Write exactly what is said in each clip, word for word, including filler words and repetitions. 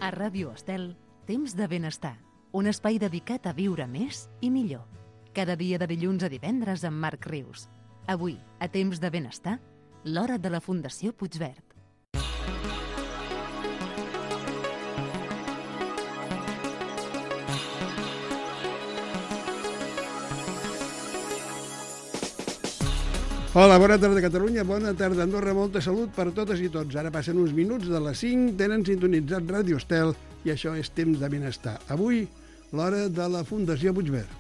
A Ràdio Estel, Temps de Benestar, un espai dedicat a viure més i millor. Cada dia de dilluns a divendres amb Marc Rius. Avui, a Temps de Benestar, l'hora de la Fundació Puigverd. Hola, bona tarda Catalunya, bona tarda Andorra, molta salut per totes i tots. Ara passen uns minuts de les cinc, tenen sintonitzat Ràdio Estel i això és Temps de Benestar. Avui, l'hora de la Fundació Puigverd.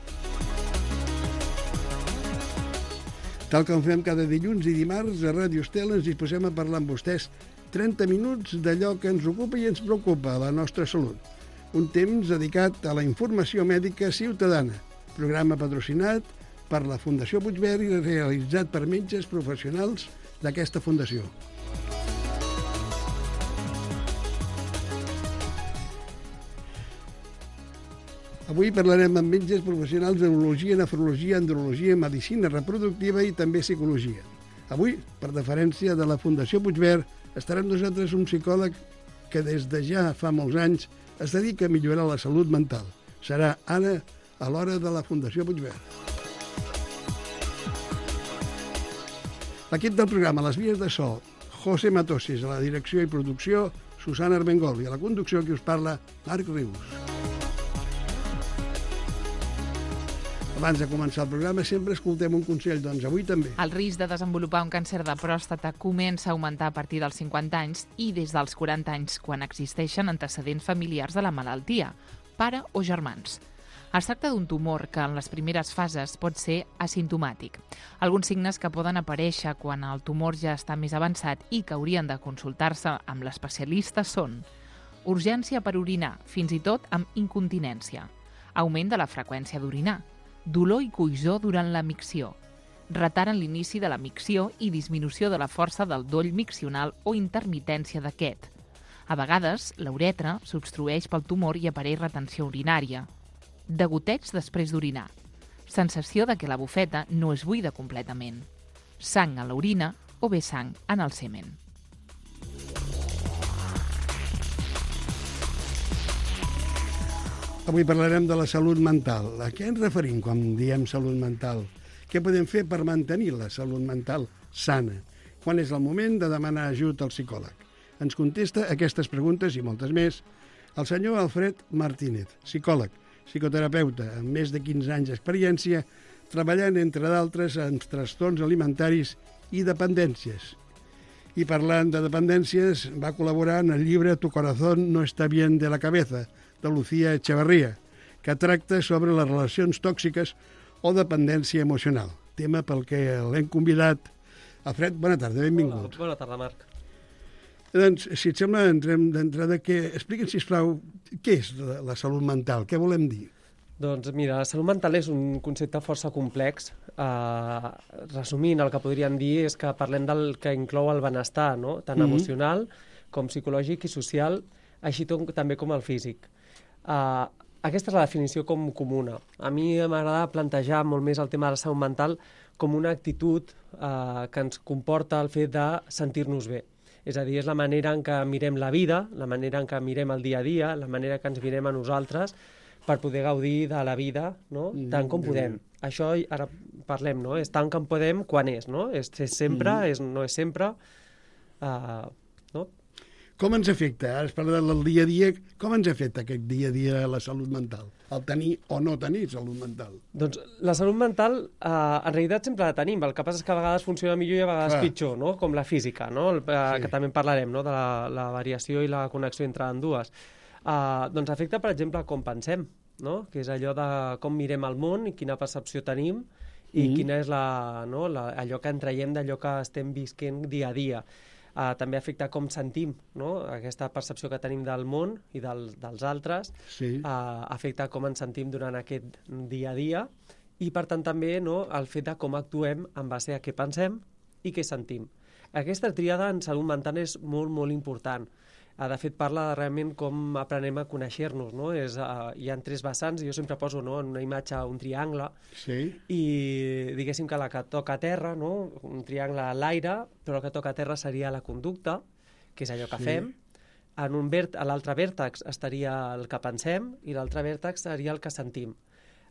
Tal com fem cada dilluns i dimarts, a Ràdio Estel ens disposem a parlar amb vostès trenta minuts d'allò que ens ocupa i ens preocupa, la nostra salut. Un temps dedicat a la informació mèdica ciutadana, programa patrocinat per la Fundació Puigverd i realitzat per metges professionals d'aquesta fundació. Avui parlarem amb metges professionals d'urologia, nefrologia, andrologia, medicina reproductiva i també psicologia. Avui, per deferència de la Fundació Puigverd, estarà amb nosaltres un psicòleg que des de ja fa molts anys es dedica a millorar la salut mental. Serà ara a l'hora de la Fundació Puigverd. L'equip del programa, les vies de so, José Matosis, a la direcció i producció, Susana Armengol, i a la conducció qui us parla, Marc Rius. Abans de començar el programa sempre escoltem un consell, doncs avui també. El risc de desenvolupar un càncer de pròstata comença a augmentar a partir dels cinquanta anys i des dels quaranta anys, quan existeixen antecedents familiars de la malaltia, pare o germans. Es tracta d'un tumor que en les primeres fases pot ser asimptomàtic. Alguns signes que poden aparèixer quan el tumor ja està més avançat i que haurien de consultar-se amb l'especialista són urgència per orinar, fins i tot amb incontinència, augment de la freqüència d'orinar, dolor i coïssor durant la micció, retard en l'inici de la micció i disminució de la força del doll miccional o intermitència d'aquest. A vegades, la uretra s'obstrueix pel tumor i apareix retenció urinària. Degoteig després d'orinar. Sensació de que la bufeta no es buida completament. Sang a l'orina o bé sang en el semen. Avui parlarem de la salut mental. A què ens referim quan diem salut mental? Què podem fer per mantenir la salut mental sana? Quan és el moment de demanar ajut al psicòleg? Ens contesta aquestes preguntes i moltes més el senyor Alfred Martínez, psicòleg, psicoterapeuta amb més de quinze anys d'experiència, treballant, entre d'altres, en trastorns alimentaris i dependències. I parlant de dependències, va col·laborar en el llibre Tu corazón no está bien de la cabeza, de Lucía Echevarría, que tracta sobre les relacions tòxiques o dependència emocional, tema pel que l'hem convidat. Alfred, bona tarda, benvingut. Hola, bona tarda, Marc. Doncs, si et sembla, entrem d'entrada que... Explica'ns, sisplau, què és la, la salut mental? Què volem dir? Doncs mira, la salut mental és un concepte força complex. Uh, resumint, el que podríem dir és que parlem del que inclou el benestar, no? Tant mm-hmm. emocional com psicològic i social, així tot, també com el físic. Uh, aquesta és la definició com comuna. A mi m'agrada plantejar molt més el tema de la salut mental com una actitud uh, que ens comporta el fet de sentir-nos bé. És a dir, és la manera en què mirem la vida, la manera en què mirem el dia a dia, la manera que ens mirem a nosaltres per poder gaudir de la vida, no? Tant com podem. Mm. Això ara parlem, no? És tant com podem quan és, no? És, és sempre, mm. és, no és sempre, uh, no? Com ens afecta? Ara es parla del dia a dia. Com ens afecta aquest dia a dia la salut mental? El tenir o no tenir salut mental? Doncs la salut mental, eh, en realitat sempre la tenim. El que passa és que a vegades funciona millor i a vegades Clar. pitjor, no? Com la física, no? El, eh, sí. Que també en parlarem, no? De la, la variació i la connexió entre ambdues. Eh, doncs afecta, per exemple, com pensem, no? Que és allò de com mirem el món i quina percepció tenim i mm. quina és la, no? la, allò que en traiem d'allò que estem visquent dia a dia. Uh, també afecta com sentim, no? Aquesta percepció que tenim del món i del, dels altres, sí. uh, afecta com ens sentim durant aquest dia a dia i, per tant, també no? El fet de com actuem en base a què pensem i què sentim. Aquesta tríada en salut mental és molt, molt important. Uh, de fet, parla de realment com aprenem a conèixer-nos, no? És, uh, hi ha tres vessants, jo sempre poso, no? En una imatge un triangle, sí. I diguéssim que la que toca a terra, no? Un triangle a l'aire, però la que toca a terra seria la conducta, que és allò que sí. fem. en un vert, a l'altre vèrtex estaria el que pensem i l'altre vèrtex seria el que sentim.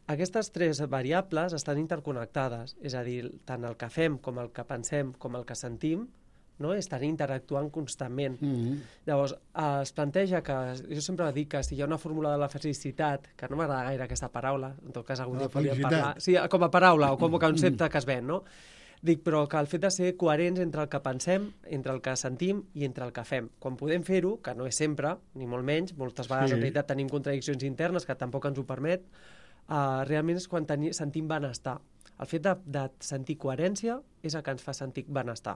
Aquestes tres variables estan interconnectades, és a dir, tant el que fem com el que pensem com el que sentim, no? Estan interactuant constantment. Mm-hmm. Llavors, es planteja que, jo sempre dic que si hi ha una fórmula de la felicitat, que no m'agrada gaire aquesta paraula, en tot cas algun dia podríem parlar, sí, com a paraula o com a concepte que es ven, no? Dic, però que el fet de ser coherents entre el que pensem, entre el que sentim i entre el que fem. Quan podem fer-ho, que no és sempre, ni molt menys, moltes vegades sí. En realitat tenim contradiccions internes que tampoc ens ho permet, uh, realment és quan teni, sentim benestar. El fet de, de sentir coherència és el que ens fa sentir benestar.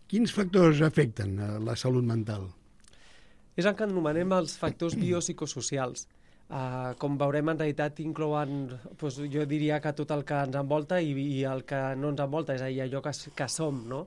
Quins factors afecten a la salut mental? És el que anomenem els factors biopsicosocials. Uh, com veurem, en realitat inclouen, doncs, jo diria que tot el que ens envolta i, i el que no ens envolta, és a dir, allò que, que som, no?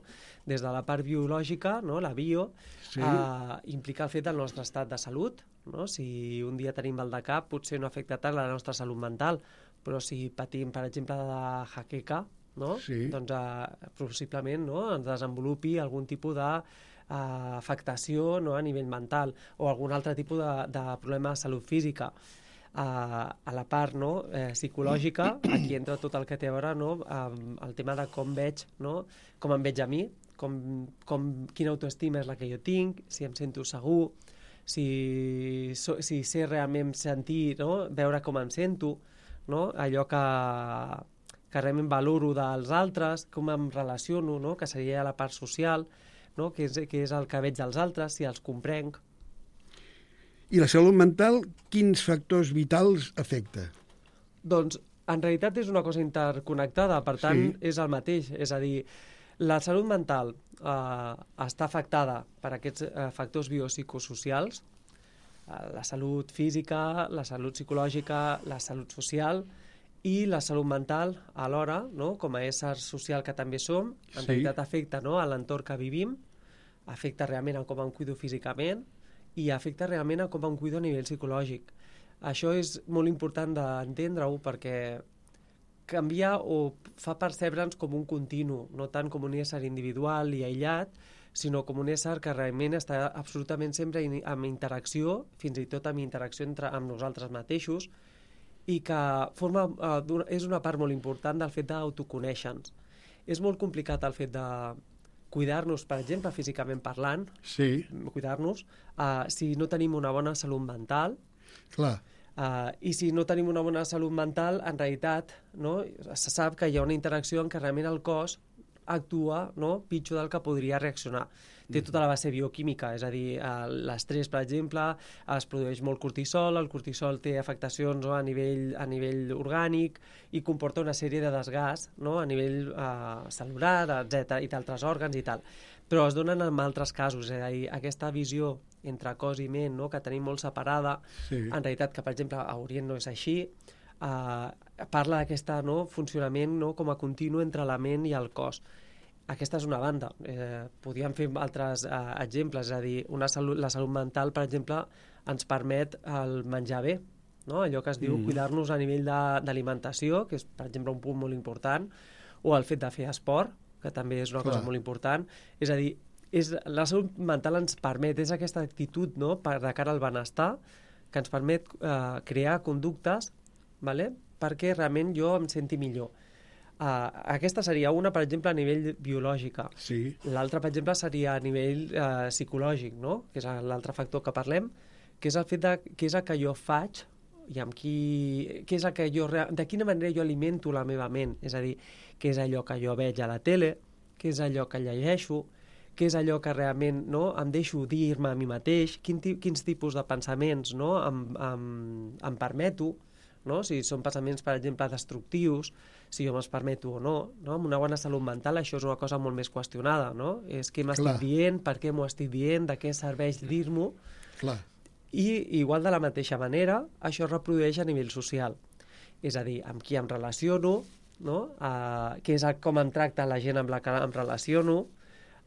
Des de la part biològica, no? La bio, sí. uh, implica el fet del nostre estat de salut, no? Si un dia tenim mal de cap, potser no afecta tant la nostra salut mental, però si patim, per exemple, de jaqueca, no? Sí. Doncs uh, possiblement, no? Ens desenvolupi algun tipus de uh, afectació, no? A nivell mental o algun altre tipus de, de problema de salut física. Uh, a la part, no? eh, psicològica, aquí entra tot el que té a veure, no? um, el tema de com veig, no? Com em veig a mi, com, com, quina autoestima és la que jo tinc, si em sento segur, si, so, si sé realment sentir, no? Veure com em sento, no? Allò que que realment valoro dels altres, com em relaciono, no? Que seria la part social, no? que, és, que és el que veig dels altres, si els comprenc. I la salut mental, quins factors vitals afecta? Doncs, en realitat és una cosa interconnectada, per tant, sí. És el mateix. És a dir, la salut mental eh, està afectada per aquests eh, factors biopsicosocials, eh, la salut física, la salut psicològica, la salut social, i la salut mental, alhora, no? Com a ésser social que també som, en sí. Realitat afecta, no? A l'entorn que vivim, afecta realment a com em cuido físicament i afecta realment a com em cuido a nivell psicològic. Això és molt important d'entendre-ho perquè canvia o fa percebre'ns com un continu, no tant com un ésser individual i aïllat, sinó com un ésser que realment està absolutament sempre en interacció, fins i tot en interacció entre, amb nosaltres mateixos, i que forma, uh, és una part molt important del fet d'autoconèixer-nos. És molt complicat el fet de cuidar-nos, per exemple, físicament parlant, sí. Cuidar-nos, uh, si no tenim una bona salut mental. Clar. Uh, I si no tenim una bona salut mental, en realitat, no, se sap que hi ha una interacció en què realment el cos actua, no, pitjor del que podria reaccionar. Té tota la base bioquímica, és a dir, l'estrès, per exemple, es produeix molt cortisol, el cortisol té afectacions, no, a nivell, a nivell orgànic i comporta una sèrie de desgast, no, a nivell eh, celular, etcètera, i d'altres òrgans i tal. Però es donen en altres casos, és a dir, aquesta visió entre cos i ment, no, que tenim molt separada, sí. En realitat, que per exemple a Orient no és així, eh, parla d'aquest, no, funcionament, no, com a continu entre la ment i el cos. Aquesta és una banda. Eh, podríem fer altres eh, exemples, és a dir, una salut, la salut mental, per exemple, ens permet el menjar bé, no? Allò que es diu mm. cuidar-nos a nivell d'alimentació, que és, per exemple, un punt molt important, o el fet de fer esport, que també és una Clar. Cosa molt important. És a dir, és, la salut mental ens permet, és aquesta actitud, no?, per, de cara al benestar, que ens permet eh, crear conductes, vale?, perquè realment jo em senti millor. Uh, aquesta seria una, per exemple, a nivell biològica. Sí. L'altra, per exemple, seria a nivell uh, psicològic, no? Que és l'altre factor que parlem, que és el fet de què és el que jo faig i amb qui... Què és el que jo, de quina manera jo alimento la meva ment. És a dir, què és allò que jo veig a la tele, què és allò que llegeixo, què és allò que realment, no, em deixo dir-me a mi mateix, quin, quins tipus de pensaments, no, em, em, em permeto, no? Si són pensaments, per exemple, destructius, si jo me'ls permeto o no, no? Amb una bona salut mental això és una cosa molt més qüestionada, no? És què m'estic dient, per què m'ho estic dient, de què serveix dir-m'ho. I igual de la mateixa manera, això es reprodueix a nivell social. És a dir, amb qui em relaciono, no? Uh, què és el, com em tracta la gent amb la que em relaciono,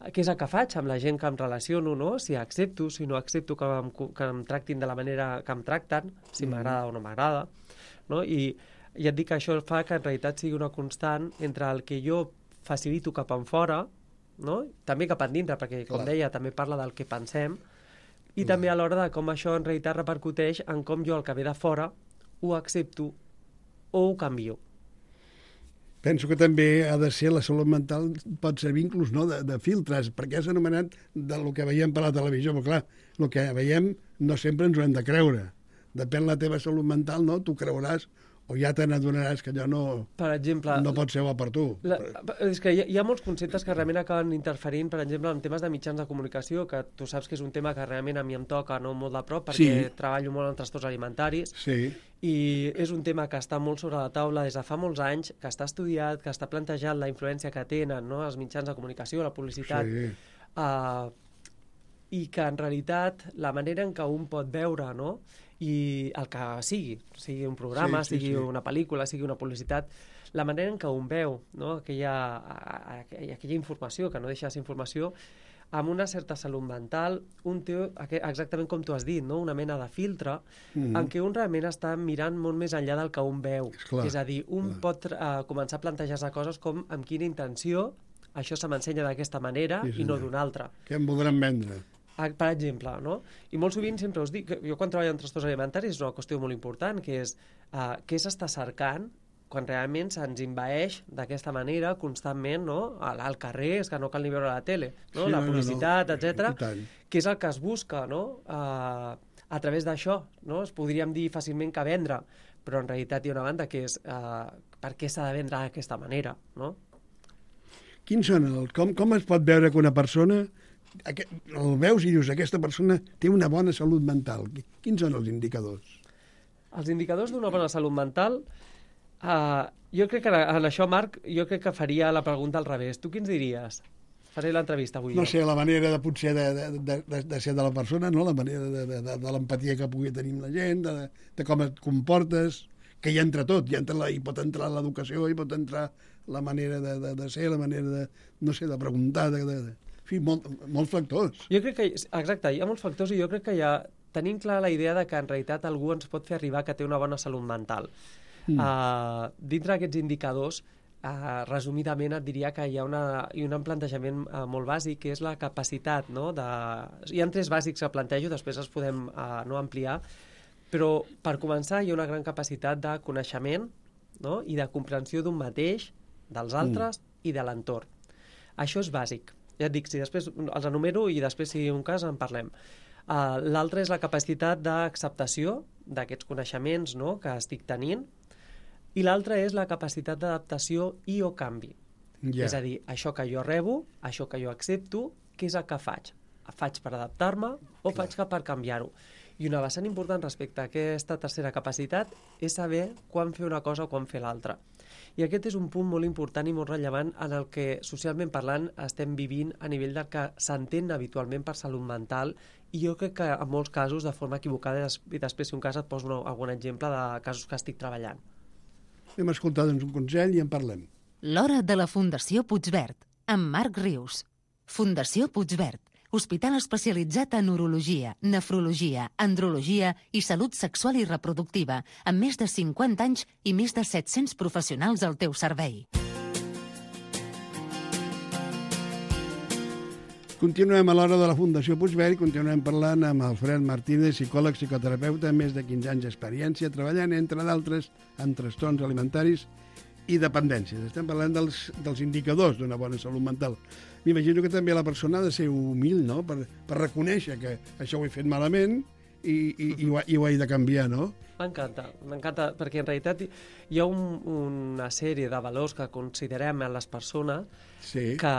què és el que faig amb la gent que em relaciono, no? Si accepto, si no accepto que em, que em tractin de la manera que em tracten, si mm. m'agrada o no m'agrada, no? I ja et dic que això fa que en realitat sigui una constant entre el que jo facilito cap en fora, no? També cap endintre, perquè, com Clar. Deia, també parla del que pensem, I també a l'hora de com això en realitat repercuteix en com jo el que ve de fora ho accepto o ho canvio. Penso que també ha de ser, la salut mental pot servir inclús no, de, de filtres, perquè és anomenat del que veiem per la televisió, però clar, el que veiem no sempre ens ho hem de creure. Depèn la teva salut mental, no? Tu creuràs o ja te n'adonaràs que allò no, per exemple, no pot ser bo per tu. La, és que hi ha, hi ha molts conceptes que realment acaben interferint, per exemple, en temes de mitjans de comunicació, que tu saps que és un tema que realment a mi em toca no molt de prop, perquè Sí. treballo molt en trastorns alimentaris, Sí, i és un tema que està molt sobre la taula des de fa molts anys, que està estudiat, que està plantejat la influència que tenen no, els mitjans de comunicació, la publicitat, sí. uh, i que en realitat la manera en què un pot veure no, i el que sigui, sigui un programa, Sí, sí, sigui sí. una pel·lícula, sigui una publicitat, la manera en què un veu no, aquella, aquella, aquella informació, que no deixa de ser informació, amb una certa salut mental, un té exactament com tu has dit, no? Una mena de filtre Mm. en què un realment està mirant molt més enllà del que un veu. Esclar, és a dir, un clar. pot uh, començar a plantejar-se coses com amb quina intenció això se m'ensenya d'aquesta manera Sí, i no senyor. d'una altra. Què em voldran vendre? Ah, per exemple, no? I molt sovint sempre us dic, que jo quan treballo en trastorns alimentaris és una qüestió molt important, que és uh, què s'està cercant quan realment se'ns envaeix d'aquesta manera constantment no? al, al carrer, és que no cal ni veure la tele, no? Sí, la no, no, publicitat, no. etcètera, I tant. que és el que es busca no? uh, a través d'això. No? Es podríem dir fàcilment que vendre, però en realitat hi ha una banda que és uh, per què s'ha de vendre d'aquesta manera, no? Quins són el, com, com es pot veure que una persona aquest, el veus i dius aquesta persona té una bona salut mental? Quins són els indicadors? Els indicadors d'una bona salut mental, uh, jo crec que en això, Marc, jo crec que faria la pregunta al revés. Tu quins diries? Faré l'entrevista avui. No jo. sé, la manera de potser de, de, de, de, de ser de la persona, no? La manera de, de, de, de l'empatia que pugui tenir amb la gent, de, de com et comportes, que hi entra tot, hi, entra la, hi pot entrar l'educació, hi pot entrar la manera de, de, de ser, la manera de, no sé, de preguntar, de, de, de... En fi, molt, molts factors. Jo crec que, exacte, hi ha molts factors i jo crec que ja tenim clar la idea de que en realitat algú ens pot fer arribar que té una bona salut mental. Mm. Uh, dintre d'aquests indicadors, uh, resumidament et diria que hi ha, una, hi ha un plantejament uh, molt bàsic, que és la capacitat, no? De... Hi ha tres bàsics que plantejo, després els podem uh, no ampliar, però per començar hi ha una gran capacitat de coneixement no? I de comprensió d'un mateix, dels altres mm. i de l'entorn. Això és bàsic. Ja et dic, si després els enumero i després, si hi ha un cas, en parlem. Uh, L'altre és la capacitat d'acceptació d'aquests coneixements no? Que estic tenint, i l'altre és la capacitat d'adaptació i o canvi. Ja. És a dir, això que jo rebo, això que jo accepto, què és el que faig? Faig per adaptar-me o faig que per canviar-ho? I una vessant important respecte a aquesta tercera capacitat és saber quan fer una cosa o quan fer l'altra. I aquest és un punt molt important i molt rellevant en el que, socialment parlant, estem vivint a nivell del que s'entén habitualment per salut mental, i jo crec que en molts casos de forma equivocada, i després si un cas et poso un, algun exemple de casos que estic treballant. Hem escoltat doncs, un consell i en parlem. L'hora de la Fundació Puigverd, amb Marc Rius. Fundació Puigverd, hospital especialitzat en urologia, nefrologia, andrologia i salut sexual i reproductiva, amb més de cinquanta anys i més de set-cents professionals al teu servei. Continuem a l'hora de la Fundació Puigverd i continuem parlant amb Alfred Martínez, psicòleg, psicoterapeuta, amb més de quinze anys d'experiència, treballant, entre d'altres, amb trastorns alimentaris i dependències. Estem parlant dels, dels indicadors d'una bona salut mental. M'imagino que també la persona ha de ser humil, no?, per, per reconèixer que això ho he fet malament i, i, i, ho, i ho he de canviar, no? M'encanta, m'encanta, perquè en realitat hi ha un, una sèrie de valors que considerem en les persones Sí. que,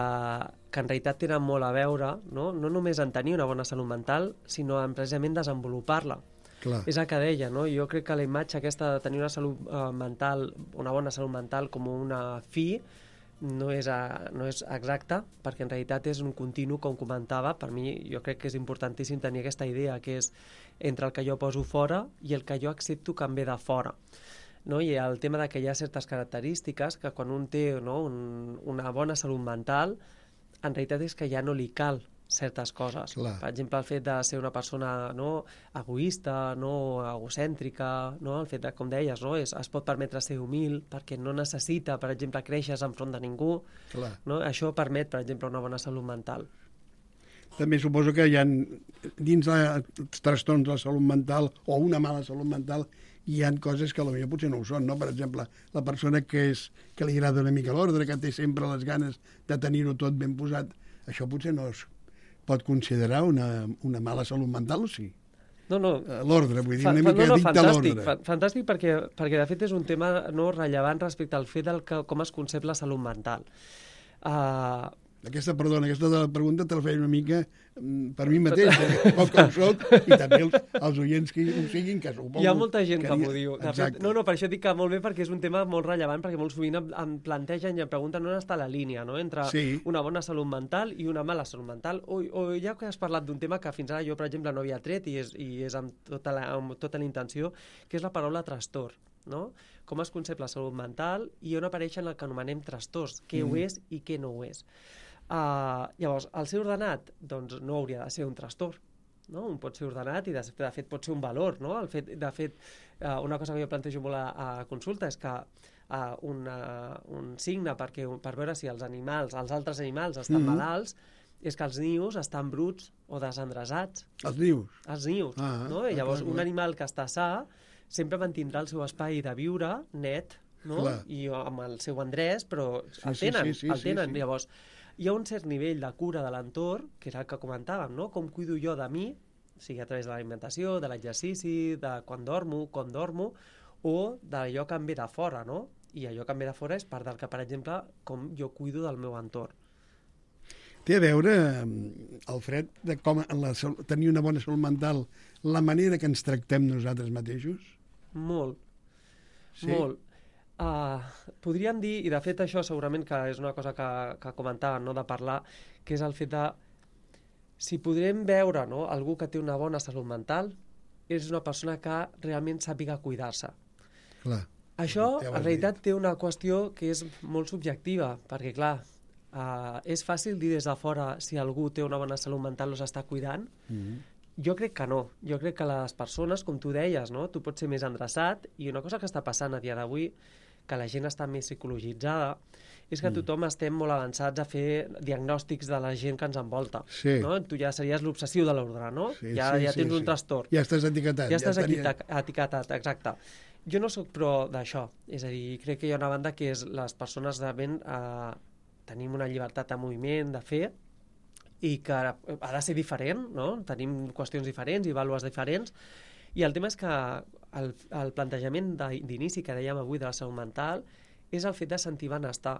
que en realitat tenen molt a veure, no, no només en tenir una bona salut mental, sinó en precisament desenvolupar-la. Clar. És el que deia, no? Jo crec que la imatge aquesta de tenir una salut uh, mental, una bona salut mental com una fi, no és, a, no és exacta, perquè en realitat és un continu, com comentava. Per mi, jo crec que és importantíssim tenir aquesta idea, que és entre el que jo poso fora i el que jo accepto que em ve de fora. No? I el tema de que hi ha certes característiques que quan un té no, un, una bona salut mental, en realitat és que ja no li cal certes coses. Clar. Per exemple, el fet de ser una persona no, egoista, no egocèntrica, no? El fet de, com deies, no, és, es pot permetre ser humil perquè no necessita, per exemple, créixer enfront de ningú. Clar. No? Això permet, per exemple, una bona salut mental. També suposo que hi ha, dins dels trastorns de la salut mental o una mala salut mental, hi ha coses que potser potser no ho són, no? Per exemple, la persona que, és, que li agrada una mica l'ordre, que té sempre les ganes de tenir-ho tot ben posat, això potser no es pot considerar una, una mala salut mental, o sí? No, no. L'ordre, vull dir, Fa, una mica no, no, addicte a fantàstic, l'ordre. fantàstic perquè, perquè de fet és un tema no rellevant respecte al fet del que, com es concep la salut mental. Uh, Aquesta, perdona, aquesta de la pregunta te la feia una mica per mi mateix, poc que ho soc, i també els, els oients que ho siguin, que suposo... Hi ha molta gent que, que m'ho diu. De fet, no, no, per això dic que molt bé, perquè és un tema molt rellevant, perquè molt sovint em, em plantegen i em pregunten on està la línia, no?, entre sí. una bona salut mental i una mala salut mental. O, o ja que has parlat d'un tema que fins ara jo, per exemple, no havia tret, i és, i és amb tota la, amb tota la intenció, que és la paraula trastorn, no? Com es concep la salut mental i on apareixen el que anomenem trastorns, què mm. ho és i què no ho és. Uh, llavors, el ser ordenat doncs no hauria de ser un trastorn, no? Un pot ser ordenat i de, de fet pot ser un valor, no? El fet, de fet, uh, una cosa que jo plantejo molt a, a consulta és que uh, una, un signe perquè, per veure si els animals, els altres animals estan mm-hmm. malalts, és que els nius estan bruts o desendreçats. Els nius? Els nius, ah, no? I llavors, clar, clar. Un animal que està sa sempre mantindrà el seu espai de viure net, no? Clar. I amb el seu endreç, però sí, el tenen, sí, sí, sí, el tenen. Sí, sí. Llavors, hi ha un cert nivell de cura de l'entorn, que és el que comentàvem, no? Com cuido jo de mi, sigui a través de l'alimentació, de l'exercici, de quan dormo, com dormo, o d'allò que em ve de fora, no? I allò que em ve de fora és part del que, per exemple, com jo cuido del meu entorn. Té a veure, Alfred, de com en la, tenir una bona salut mental, la manera que ens tractem nosaltres mateixos? Molt, sí? Molt. Uh, podríem dir, i de fet això segurament que és una cosa que, que comentàvem, no?, de parlar, que és el fet de si podrem veure, no?, algú que té una bona salut mental és una persona que realment sàpiga cuidar-se. Clar. Això ja en realitat dit. Té una qüestió que és molt subjectiva, perquè clar, uh, és fàcil dir des de fora si algú té una bona salut mental o s'està cuidant. Mm-hmm. Jo crec que no. Jo crec que les persones, com tu deies, no?, tu pots ser més endreçat, i una cosa que està passant a dia d'avui, que la gent està més psicologitzada, és que tothom estem molt avançats a fer diagnòstics de la gent que ens envolta. Sí. No? Tu ja series l'obsessiu de l'ordre, no? Sí, ja, sí, ja tens sí, un sí. trastorn. Ja estàs etiquetat. Ja estàs ja tenia... etiquetat, exacte. Jo no sóc pro d'això. És a dir, crec que hi ha una banda que és les persones de ben... Eh, tenim una llibertat de moviment, de fer, i que ha de ser diferent, no? Tenim qüestions diferents i vàlues diferents, i el tema és que el, el plantejament d'inici que dèiem avui de la salut mental és el fet de sentir benestar.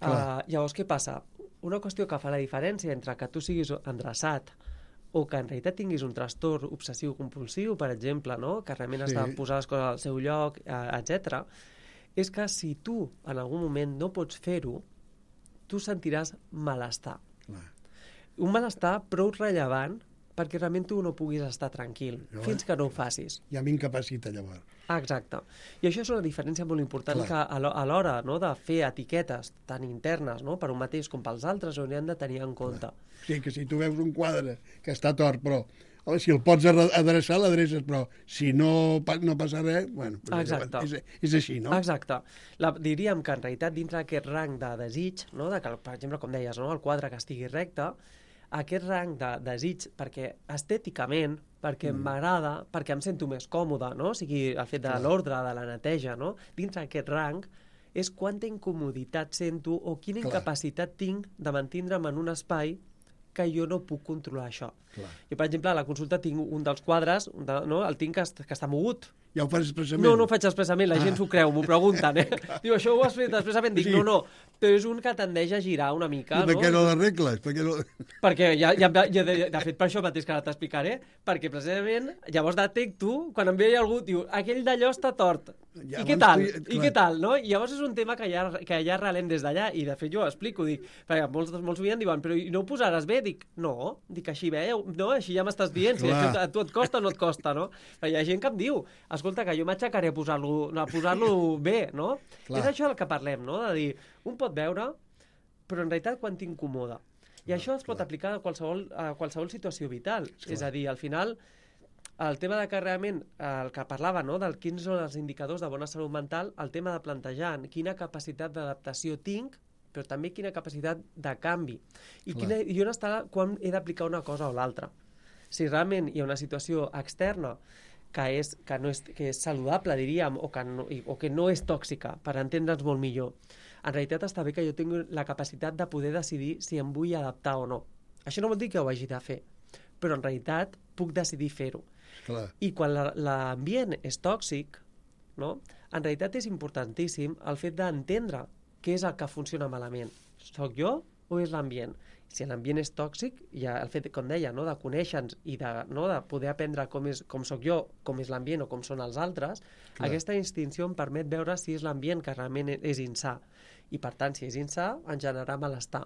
Uh, llavors, què passa? Una qüestió que fa la diferència entre que tu siguis endreçat o que en realitat tinguis un trastorn obsessiu-compulsiu, per exemple, no?, que realment sí. has de posar les coses al seu lloc, etcètera, és que si tu en algun moment no pots fer-ho, tu sentiràs malestar. Clar. Un malestar prou rellevant perquè realment tu no puguis estar tranquil, jo, fins que no ho facis. Ja m'incapacita, llavors. Exacte. I això és una diferència molt important. Clar. Que a l'hora, no?, de fer etiquetes tan internes, no?, per un mateix com pels altres, ho hem de tenir en compte. Clar. Sí, que si tu veus un quadre que està tort, però home, si el pots adreçar, l'adreces, però si no, no passa res, bueno, exacte. És, és així, no? Exacte. La, diríem que en realitat dintre d'aquest rang de desig, no?, de que, per exemple, com deies, no?, el quadre que estigui recte, aquest rang de desig, perquè estèticament, perquè mm. m'agrada, perquè em sento més còmode, no?, o sigui, el fet de l'ordre, de la neteja, no?, dintre d'aquest rang, és quanta incomoditat sento o quina Clar. Incapacitat tinc de mantindre'm en un espai que jo no puc controlar això. Clar. Jo, per exemple, a la consulta tinc un dels quadres, de, no?, el tinc que, que està mogut. Ja ho fas expressament? No, no ho faig expressament, la ah. gent s'ho creu, m'ho pregunten, eh? Diu, això ho has fet expressament? Dic, sí. no, no, però és un que tendeix a girar una mica, no? Per què no l'arregles? Per què no... Perquè ja, ja, ja de, de fet, per això mateix que ara t'explicaré, perquè precisament, llavors detecto, quan em ve algú, diu, aquell d'allò està tort. Ja, I què tal? Tu... I què tal, no? I llavors és un tema que ja, que ja arrelem des d'allà, i de fet jo ho explico, dic, perquè molts, molts sovint diuen, però no ho posaràs bé? Dic, no, dic, així bé, no, així ja m'estàs dient, si a tu et costa o no et costa, no? Però hi ha gent que em diu, escolta, que jo m'aixecaré a posar-lo a posar-lo bé, no? Clar. És això del que parlem, no? De dir, un pot veure, però en realitat quan t'incomoda. I clar, això es pot clar. Aplicar a qualsevol, a qualsevol situació vital. Clar. És a dir, al final, el tema de que realment, el que parlava, no?, del quins són els indicadors de bona salut mental, el tema de plantejar quina capacitat d'adaptació tinc però també quina capacitat de canvi. I, quina, i on està quan he d'aplicar una cosa o l'altra. Si realment hi ha una situació externa que és, que no és, que és saludable, diríem, o que, no, o que no és tòxica, per entendre'ns molt millor, en realitat està bé que jo tingui la capacitat de poder decidir si em vull adaptar o no. Això no vol dir que ho hagi de fer, però en realitat puc decidir fer-ho. Clar. I quan la, l'ambient és tòxic, no? En realitat és importantíssim el fet d'entendre què és el que funciona malament. Soc jo o és l'ambient? Si l'ambient és tòxic, ja el fet, com deia, no? de conèixer-nos i de, no? de poder aprendre com, és, com soc jo, com és l'ambient o com són els altres, clar, aquesta distinció em permet veure si és l'ambient que realment és insà. I per tant, si és insà, en generarà malestar.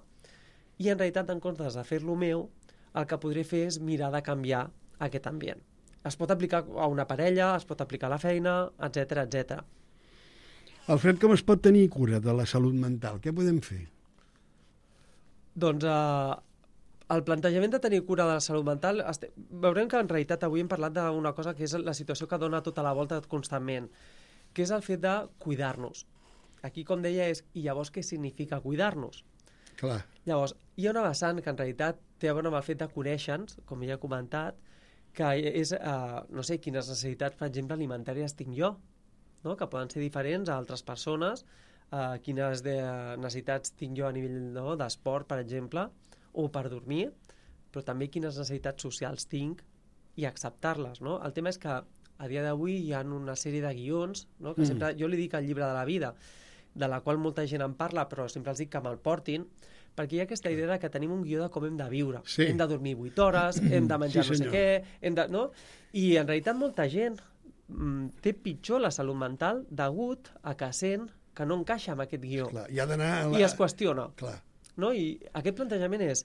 I en realitat, en comptes de fer-lo meu, el que podré fer és mirar de canviar aquest ambient. Es pot aplicar a una parella, es pot aplicar a la feina, etcètera, etcètera. Alfred, com es pot tenir cura de la salut mental? Què podem fer? Doncs eh, el plantejament de tenir cura de la salut mental, este... veurem que en realitat avui hem parlat d'una cosa que és la situació que dona tota la volta constantment, que és el fet de cuidar-nos. Aquí, com deia, és i llavors què significa cuidar-nos? Clar. Llavors, hi ha una vessant que en realitat té a veure amb el fet de conèixer-nos, com ja he comentat, que és, eh, no sé, quines necessitats, per exemple, alimentàries tinc jo, no? Que poden ser diferents a altres persones, eh, quines de necessitats tinc jo a nivell, no? d'esport, per exemple, o per dormir, però també quines necessitats socials tinc i acceptar-les, no? El tema és que a dia d'avui hi ha una sèrie de guions, no? Que mm. sempre, jo li dic el llibre de la vida, de la qual molta gent en parla, però sempre els dic que me'l portin, perquè hi ha aquesta idea que tenim un guió de com hem de viure. Sí. Hem de dormir vuit hores, hem de menjar sí, no sé què, hem de, no? I en realitat molta gent mm, té pitjor la salut mental degut a que sent que no encaixa amb aquest guió. Clar, i ha d'anar a la... I es qüestiona. Clar. No? I aquest plantejament és,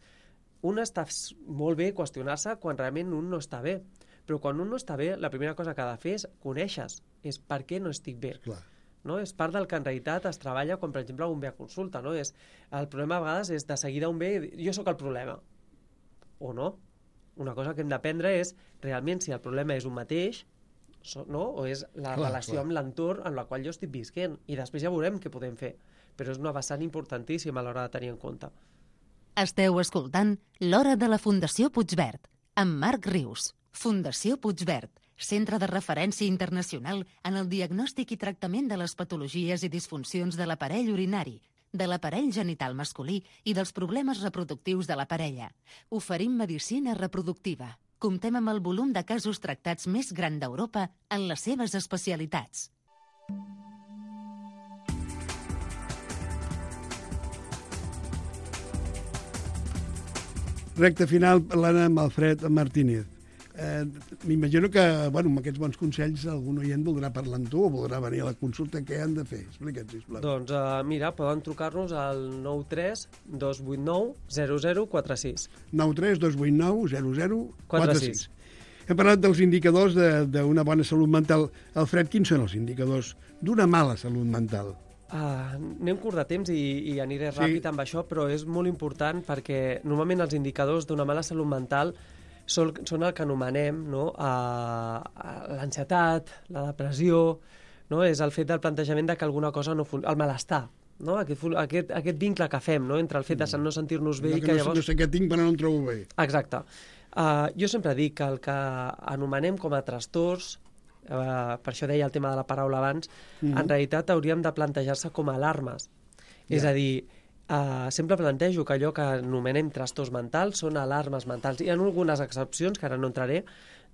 un està molt bé qüestionar-se quan realment un no està bé, però quan un no està bé, la primera cosa que ha de fer és conèixer-se, és per què no estic bé. Clar. No? És part del que en realitat es treballa quan, per exemple, un ve a consulta. No? És, el problema a vegades és de seguida un ve i jo sóc el problema. O no. Una cosa que hem d'aprendre és realment si el problema és un mateix, no? O és la clar, relació clar. amb l'entorn en la qual jo estic visquent. I després ja veurem què podem fer. Però és una vessant importantíssima a l'hora de tenir en compte. Esteu escoltant l'Hora de la Fundació Puigverd, amb Marc Rius. Fundació Puigverd, centre de referència internacional en el diagnòstic i tractament de les patologies i disfuncions de l'aparell urinari, de l'aparell genital masculí i dels problemes reproductius de la parella. Oferim medicina reproductiva. Comptem amb el volum de casos tractats més gran d'Europa en les seves especialitats. Recte final, parlant amb Alfred Martínez. Eh, M'imagino que, bueno, amb aquests bons consells algun oient voldrà parlar amb tu o voldrà venir a la consulta. Què han de fer? Explica't, sisplau. Doncs uh, mira, poden trucar-nos al nou tres dos vuit nou zero zero quatre sis. nou tres dos vuit nou zero zero quatre quatre sis. sis. Hem parlat dels indicadors d'una bona salut mental. Alfred, quins són els indicadors d'una mala salut mental? Uh, anem curt de temps i, i aniré Sí. ràpid amb això, però és molt important perquè normalment els indicadors d'una mala salut mental són, són el que anomenem, no? uh, l'ansietat, la depressió, no? És el fet del plantejament de que alguna cosa no funciona, el malestar, no? Aquest, aquest, aquest vincle que fem, no? Entre el fet de no sentir-nos bé No, i que que no, llavors... no sé què tinc, però no em trobo bé. Exacte. Uh, jo sempre dic que el que anomenem com a trastorns, uh, per això deia el tema de la paraula abans, mm-hmm. en realitat hauríem de plantejar-se com a alarmes. Yeah. És a dir, uh, sempre plantejo que allò que anomenem trastorns mentals són alarmes mentals. Hi ha algunes excepcions, que ara no entraré,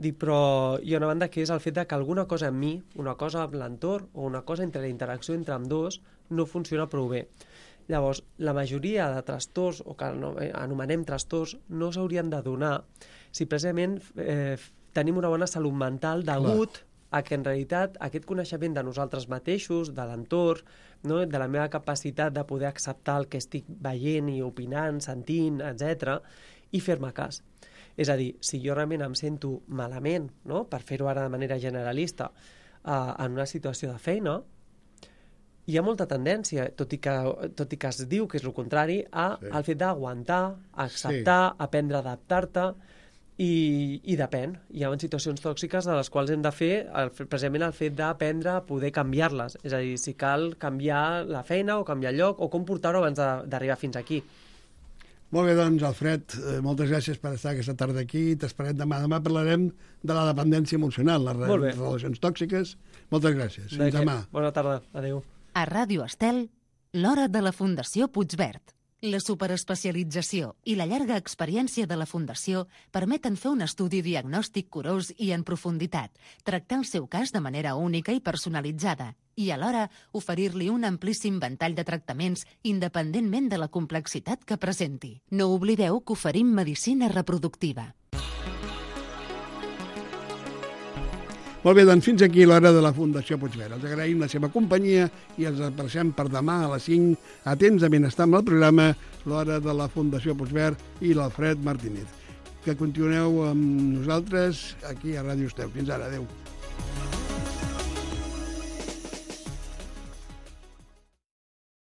dic, però hi ha una banda que és el fet de que alguna cosa en mi, una cosa amb l'entorn o una cosa entre la interacció entre ambdós no funciona prou bé. Llavors, la majoria de trastorns, o que anomenem trastorns, no s'haurien de donar si precisament eh, tenim una bona salut mental degut Clar. a que en realitat aquest coneixement de nosaltres mateixos, de l'entorn, no? de la meva capacitat de poder acceptar el que estic veient i opinant, sentint, etcètera, i fer-me cas. És a dir, si jo realment em sento malament, no? per fer-ho ara de manera generalista, eh, en una situació de feina, hi ha molta tendència, tot i que, tot i que es diu que és el contrari, a, sí. al fet d'aguantar, acceptar, sí. aprendre a adaptar-te, i, i depèn. Hi ha situacions tòxiques de les quals hem de fer el, precisament el fet d'aprendre a poder canviar-les. És a dir, si cal canviar la feina o canviar el lloc o com portar-ho abans d'arribar fins aquí. Molt bé, doncs, Alfred, moltes gràcies per estar aquesta tarda aquí. T'esperem demà. Demà parlarem de la dependència emocional, les relacions tòxiques. Moltes gràcies. Fins demà. Bona tarda. Adéu. A Ràdio Estel, l'hora de la Fundació Puigverd. La superespecialització i la llarga experiència de la Fundació permeten fer un estudi diagnòstic curós i en profunditat, tractar el seu cas de manera única i personalitzada i alhora oferir-li un amplíssim ventall de tractaments independentment de la complexitat que presenti. No oblideu que oferim medicina reproductiva. Molt bé, doncs fins aquí l'hora de la Fundació Puigverd. Els agraïm la seva companyia i els apareixem per demà a les cinc a temps de benestar amb el programa l'hora de la Fundació Puigverd i l'Alfred Martínez. Que continueu amb nosaltres aquí a Ràdio Estel. Fins ara, adeu.